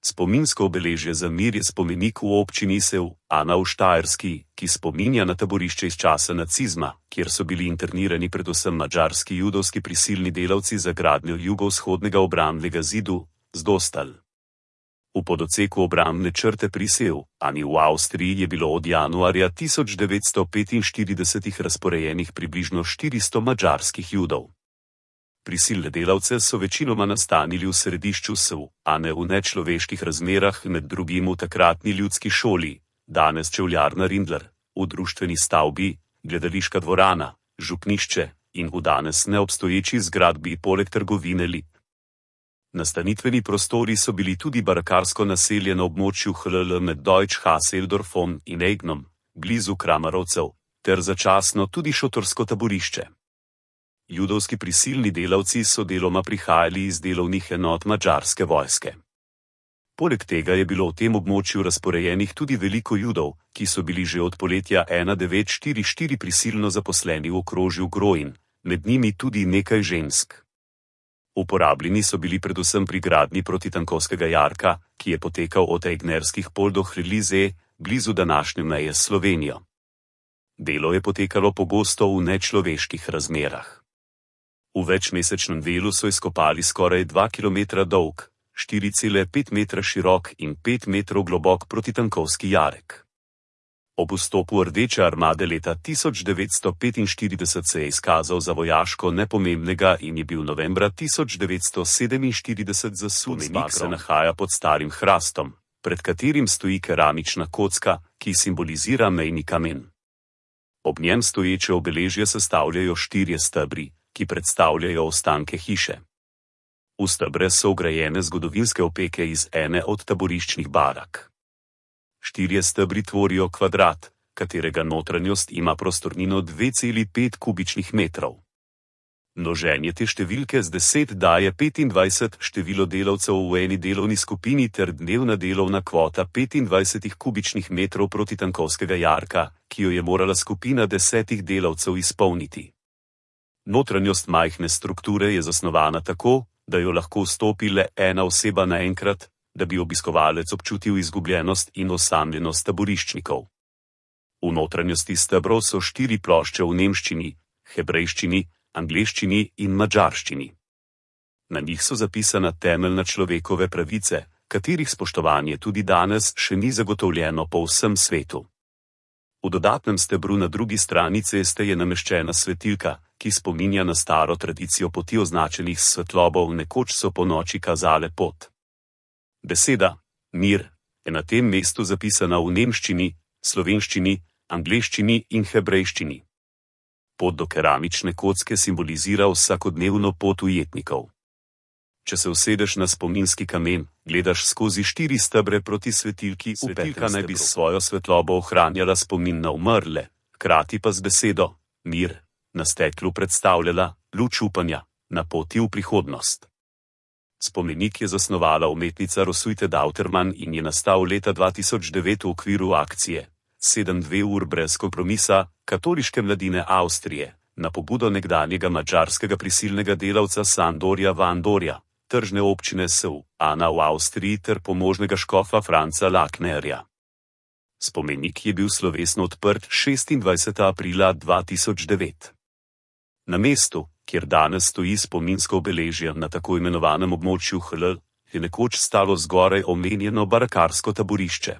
Spominsko obeležje za mir je spomenik v občini Sev, Ana v Štajerski, ki spominja na taborišče iz časa nacizma, kjer so bili internirani predvsem madžarski judovski prisilni delavci za gradnjo jugovzhodnega obrambnega zidu, Zdostal. V pododseku obrambne črte pri Sev, Ani v Avstriji je bilo od januarja 1945 razporejenih približno 400 madžarskih judov. Prisilne delavce so večinoma nastanili v središču Sev, Ane v nečloveških razmerah, med drugim v takratni ljudski šoli, danes čevljarna Rindler, v društveni stavbi, gledališka dvorana, župnišče in v danes neobstoječi zgradbi poleg trgovine Lip. Nastanitveni prostori so bili tudi barakarsko naselje na območju HLL med Deutsch Hasseldorfom in Eignom, blizu Kramarovcev, ter začasno tudi šotorsko taborišče. Judovski prisilni delavci so deloma prihajali iz delovnih enot madžarske vojske. Poleg tega je bilo v tem območju razporejenih tudi veliko Judov, ki so bili že od poletja 1944 prisilno zaposleni v okrožju Grojin, med njimi tudi nekaj žensk. Uporabljeni so bili predvsem pri gradnji protitankovskega jarka, ki je potekal od Egnerskih pol do Hrlize, blizu današnje meje s Slovenijo. Delo je potekalo pogosto v nečloveških razmerah. V večmesečnem delu so izkopali skoraj 2 km dolg, 4,5 metra širok in 5 metrov globok protitankovski jarek. Ob vstopu Rdeče armade leta 1945 se je izkazal za vojaško nepomembnega in je bil novembra 1947 zasun. Spomenik se nahaja pod starim hrastom, pred katerim stoji keramična kocka, ki simbolizira mejni kamen. Ob njem stoječe obeležje sestavljajo 4 stebri, ki predstavljajo ostanke hiše. V stebre so vgrajene zgodovinske opeke iz ene od taboriščnih barak. 4 stebri tvorijo kvadrat, katerega notranjost ima prostornino 2,5 kubičnih metrov. Množenje te številke z 10 daje 25 število delavcev v eni delovni skupini ter dnevna delovna kvota 25 kubičnih metrov protitankovskega jarka, ki jo je morala skupina 10 delavcev izpolniti. Notranjost majhne strukture je zasnovana tako, da jo lahko vstopi le ena oseba naenkrat, da bi obiskovalec občutil izgubljenost in osamljenost taboriščnikov. V notranjosti stebrov so 4 plošče v nemščini, hebrejščini, angleščini in madžarščini. Na njih so zapisana temeljna človekove pravice, katerih spoštovanje tudi danes še ni zagotovljeno po vsem svetu. V dodatnem stebru na drugi strani ceste je nameščena svetilka, ki spominja na staro tradicijo poti označenih s svetlobo, nekoč so po noči kazale pot. Beseda mir je na tem mestu zapisana v nemščini, slovenščini, angleščini in hebrejščini. Pot do keramične kocke simbolizira vsakodnevno pot ujetnikov. Če se usedeš na spominski kamen, gledaš skozi 4 stebre proti svetilki. Svetilka naj bi s svojo svetlobo ohranjala spomin na umrle, hkrati pa z besedo mir na steklu predstavljala luč upanja na poti v prihodnost. Spomenik je zasnovala umetnica Roswitha Dauterman in je nastal leta 2009 v okviru akcije 7 ur brez kompromisa katoliške mladine Avstrije na pobudo nekdanjega madžarskega prisilnega delavca Sandorja Vandorja, tržne občine Sev, Ana v Avstriji ter pomožnega škofa Franca Laknerja. Spomenik je bil slovesno odprt 26. aprila 2009. Na mestu, kjer danes stoji spominsko obeležje na tako imenovanem območju HLL, je nekoč stalo zgoraj omenjeno barakarsko taborišče.